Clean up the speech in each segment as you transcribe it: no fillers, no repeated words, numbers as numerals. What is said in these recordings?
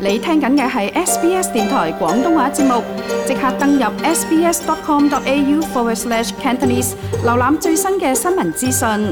你聽緊嘅係 SBS 電台廣東話節目，即刻登入 sbs.com.au/Cantonese 瀏覽最新嘅新聞資訊。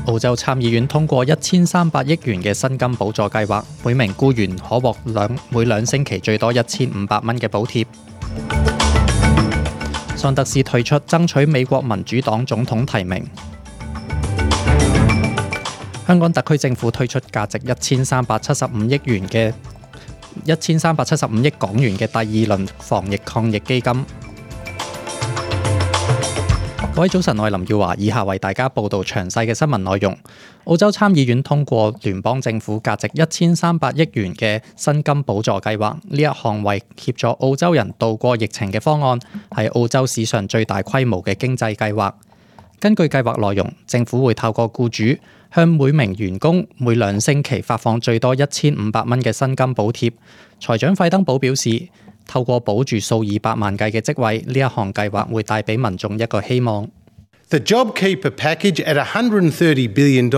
澳洲參議院通過1300億元嘅薪金補助計劃，每名僱員可獲每2星期最多1500蚊嘅補貼。桑德斯退出爭取美國民主黨總統提名。香港特區政府推出價值1375億港元嘅第2輪防疫抗疫基金。各位早晨，我係林耀華，以下為大家報道詳細嘅新聞內容。澳洲參議院通過聯邦政府價值1300億元嘅薪金補助計劃，呢一項為協助澳洲人渡過疫情嘅方案，係澳洲史上最大規模嘅經濟計劃。根據計劃內容，政府會透過僱主向每名員工每2星期發放最多1500蚊嘅薪金補貼。財長費登堡表示，透過保住數以百萬計嘅職位，呢一項計劃會帶俾民眾一個希望。The JobKeeper package at $130 billion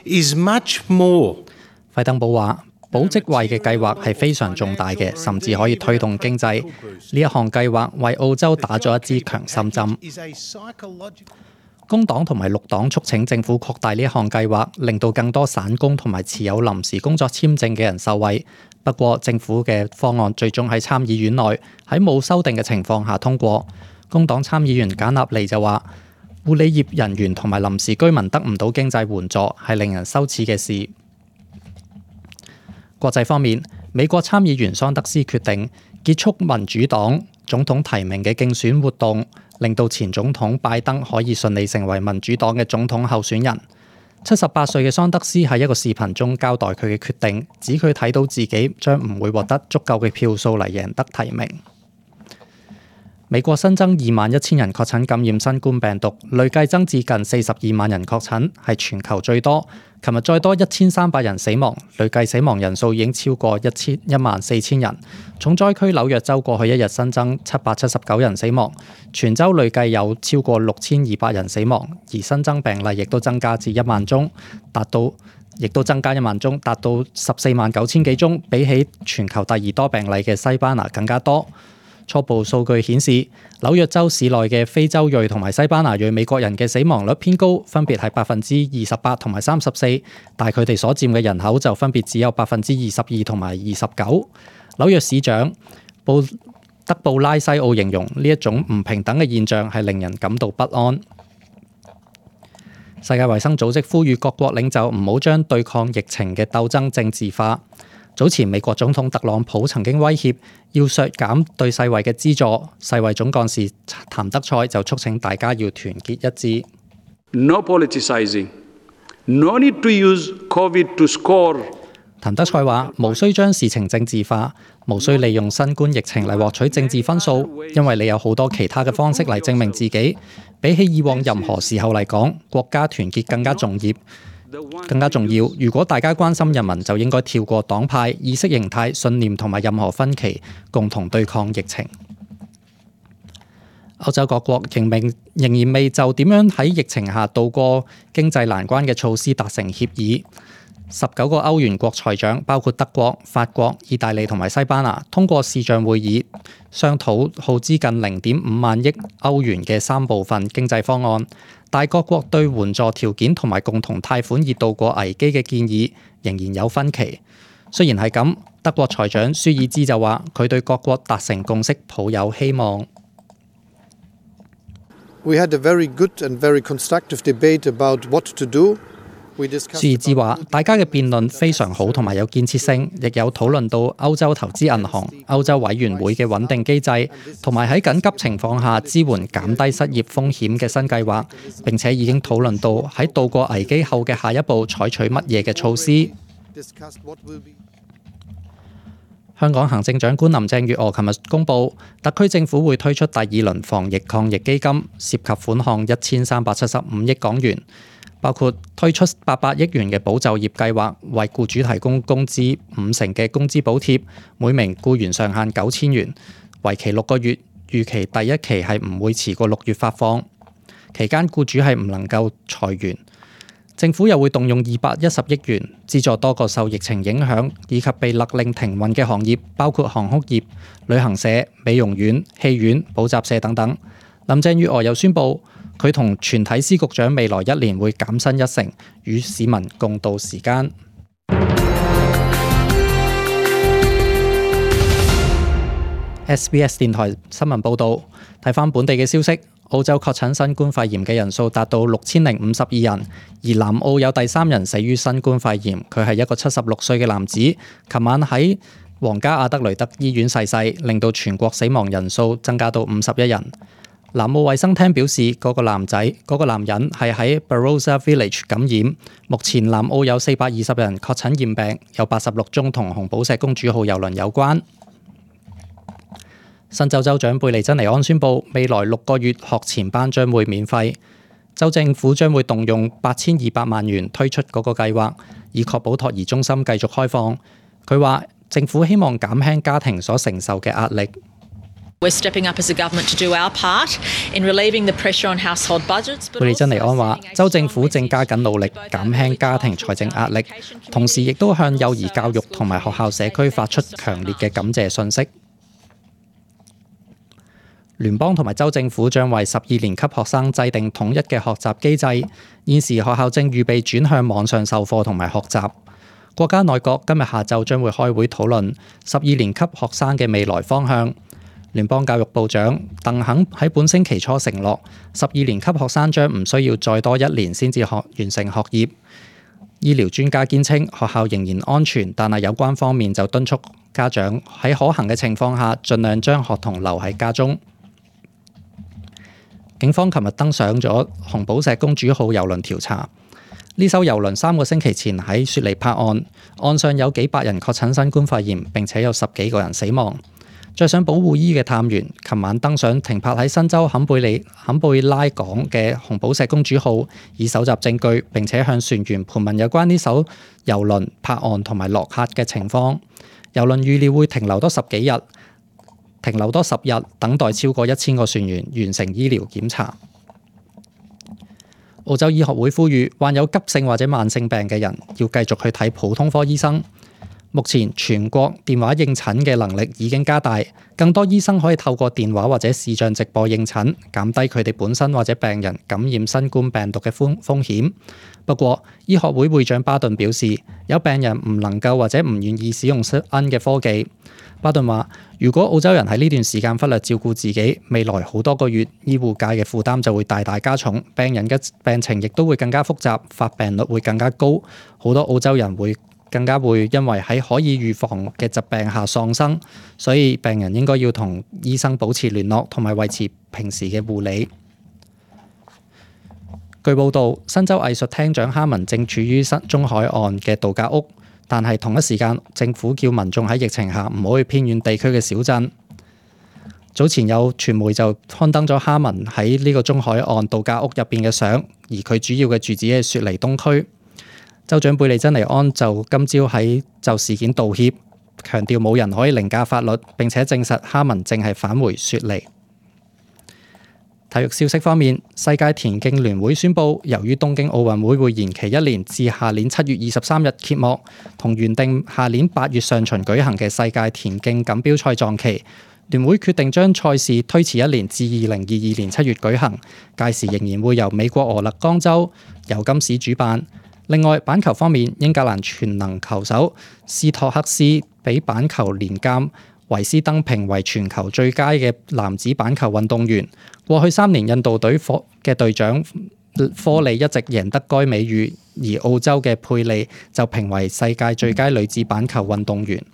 is much more. 費登堡話，保職位嘅計劃係非常重大嘅，甚至可以推動經濟。呢一項計劃為澳洲打咗一支強心針。工黨同埋綠黨促請政府擴大呢一項計劃，令到更多散工同埋持有臨時工作簽證嘅人受惠。不過，政府嘅方案最終喺參議院內喺冇修訂嘅情況下通過。工黨參議員簡納利就話，護理業人員同埋臨時居民得唔到經濟援助係令人羞恥嘅事。國際方面，美國參議員桑德斯決定結束民主黨總統提名嘅競選活動，令到前總統拜登可以順利成為民主黨嘅總統候選人。78歲嘅桑德斯喺一個視頻中交代佢嘅決定，指佢睇到自己將唔會獲得足夠嘅票數嚟贏得提名。美國新增21000人確診感染新冠病毒，累計增至近42萬人確診，係全球最多。琴日再多1300人死亡，累計死亡人數已經超過14000人。重災區紐約州過去一日新增779人死亡，全州累計有超過6200人死亡，而新增病例亦都增加至1萬宗，達到149000幾宗，比起全球第2多病例嘅西班牙更加多。初步數據顯示，紐約州市內嘅非洲裔同埋西班牙裔美國人嘅死亡率偏高，分別係28%同埋34%，但係佢哋所佔嘅人口就分別只有22%同埋29%。紐約市長德布拉西奧形容呢一種唔平等嘅現象係令人感到不安。世界衛生組織呼籲各國領袖唔好將對抗疫情嘅鬥爭政治化。早前美國總統特朗普曾經威脅要削減對世衛嘅資助，世衛總幹事譚德塞就促請大家要團結一致。No politicizing, no need to use COVID to score。譚德塞話：無需將事情政治化，無需利用新冠疫情嚟獲取政治分數，因為你有好多其他嘅方式嚟證明自己。比起以往任何時候嚟講，國家團結更加重要。如果大家關心人民，就應該跳過黨派、意識形態、信念同埋任何分歧，共同對抗疫情。歐洲各國仍然未就點樣喺疫情下渡過經濟難關嘅措施達成協議。19個歐元國財長，包括德國、法國、意大利同埋西班牙，通過視像會議商討耗資近0.5萬億歐元嘅3部分經濟方案。但各國對援助條件同埋共同貸款以渡過危機嘅建議仍然有分歧。雖然係咁，德國財長舒爾茲就話佢對各國達成共識抱有希望。We had a very good and very constructive debate about what to do。舒爾茲話：大家嘅辯論非常好同埋有建設性，亦有討論到歐洲投資銀行、歐洲委員會嘅穩定機制，同埋喺緊急情況下支援減低失業風險嘅新計劃。並且已經討論到喺渡過危機後嘅下一步採取乜嘢嘅措施。香港行政長官林鄭月娥琴日公布，特區政府會推出第2輪防疫抗疫基金，涉及款項1375億港元。包括推出800億元嘅保就業計劃，為僱主提供工資50%嘅工資補貼，每名僱員上限9000元，為期6個月，預期第一期係唔會遲過6月發放。期間僱主係唔能夠裁員。政府又會動用210億元資助多個受疫情影響以及被勒令停運嘅行業，包括航空業、旅行社、美容院、戲院、補習社等等。林鄭月娥又宣布，佢同全體司局長未來1年會減薪1成，與市民共度時間。SBS 電台新聞報導，睇返本地嘅消息，澳洲確診新冠肺炎嘅人數達到6052人，而南澳有第3人死於新冠肺炎，佢係一個76歲嘅男子，琴晚喺皇家阿德雷德醫院逝世，令到全國死亡人數增加到51人。南澳衛生廳表示，嗰個男人係喺 Barossa Village 感染。目前南澳有420人確診驗病，有86宗同紅寶石公主號郵輪有關。新州州長貝利珍尼安宣布，未來6個月學前班將會免費。州政府將會動用8200萬元推出嗰個計劃，以確保托兒中心繼續開放。佢話政府希望減輕家庭所承受嘅壓力。We're stepping up as a government to do our part in relieving the pressure on household budgets. 貝利珍尼安話，州政府正加緊努力減輕家庭財政壓力，同時亦都向幼兒教育同埋學校社區發出強烈嘅感謝訊息。聯邦同埋州政府將為12年級學生制定統一嘅學習機制，現時學校正預備轉向網上授課同埋學習。國家內閣今日下晝將會開會討論12年級學生嘅未來方向。聯邦教育部長鄧肯喺本星期初承諾，12年級學生將唔需要再多1年先至完成學業。醫療專家堅稱學校仍然安全，但係有關方面就敦促家長喺可行嘅情況下，盡量將學童留喺家中。警方琴日登上咗紅寶石公主號郵輪調查。呢艘郵輪3個星期前喺雪梨泊岸，岸上有幾百人確診新冠肺炎，並且有10幾個人死亡。着上保護衣嘅探員，琴晚登上停泊喺新州坎貝拉港嘅紅寶石公主號，以搜集證據，並且向船員盤問有關呢艘郵輪泊岸同埋落客嘅情況。郵輪預料會停留多10日，等待超過1000個船員完成醫療檢查。澳洲醫學會呼籲患有急性或者慢性病嘅人要繼續去睇普通科醫生。目前全國電話應診嘅能力已經加大，更多醫生可以透過電話或者視像直播應診，減低佢哋本身或者病人感染新冠病毒嘅風險。不過，醫學會會長巴頓表示，有病人唔能夠或者唔願意使用新嘅科技。巴頓話：如果澳洲人喺呢段時間忽略照顧自己，未來好多個月醫護界嘅負擔就會大大加重，病人嘅病情亦都會更加複雜，發病率會更加高，好多澳洲人更加會因為喺可以預防嘅疾病下喪生，所以病人應該要同醫生保持聯絡，同埋維持平時嘅護理。據報道，新州藝術廳長哈文正處於中海岸嘅度假屋，但係同一時間，政府叫民眾喺疫情下唔好去偏遠地區嘅小鎮。早前有傳媒就刊登咗哈文喺呢個中海岸度假屋入邊嘅相，而佢主要嘅住址係雪梨東區。州長貝利珍尼安就今朝就事件道歉，強調冇人可以凌駕法律，並且證實哈文正係返回雪梨。體育消息方面，世界田徑聯會宣布，由於東京奧運會會延期1年至下年7月23日揭幕，同原定下年8月上旬舉行嘅世界田徑錦標賽撞期，聯會決定將賽事推遲1年至2022年7月舉行，屆時仍然會由美國俄勒岡州尤金市主辦。另外，板球方面，英格蘭全能球手斯托克斯被板球年鑑維斯登評為全球最佳嘅男子板球運動員。過去3年，印度隊嘅隊長科利一直贏得該美譽，而澳洲嘅佩利就評為世界最佳女子板球運動員。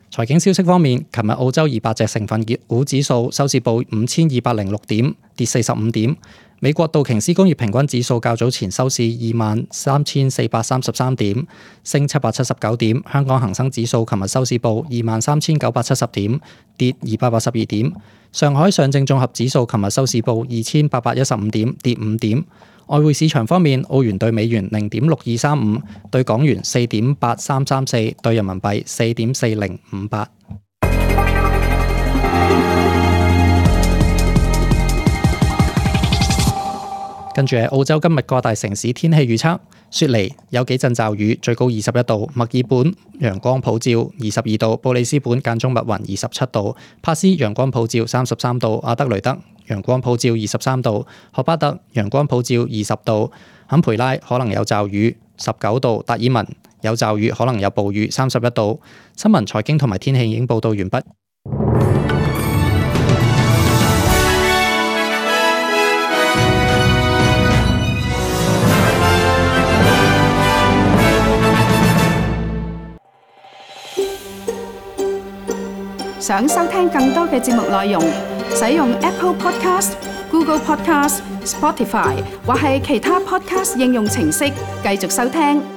財經消息方面，琴日澳洲200隻成分股指數收市報5206點，跌45點。美國道瓊斯工業平均指數較早前收市23,433點，升779點。香港恒生指數琴日收市報23,970點，跌282點。上海上證綜合指數琴日收市報2815點，跌5點。外匯市場方面，澳元對美元0.6235，對港元4.8334，對人民幣4.4058。跟住係澳洲今日各大城市天氣預測：雪梨有幾陣驟雨，最高21度；墨爾本陽光普照22度；布里斯本間中密雲27度；帕斯陽光普照33度；阿德雷德陽光普照23度；荷巴特陽光普照20度；坎培拉可能有驟雨19度；達爾文有驟雨可能有暴雨31度。新聞、財經同埋天氣已經報道完畢。想收聽更多嘅節目內容，使用 Apple Podcast、Google Podcast、Spotify 或係其他 Podcast 應用程式繼續收聽。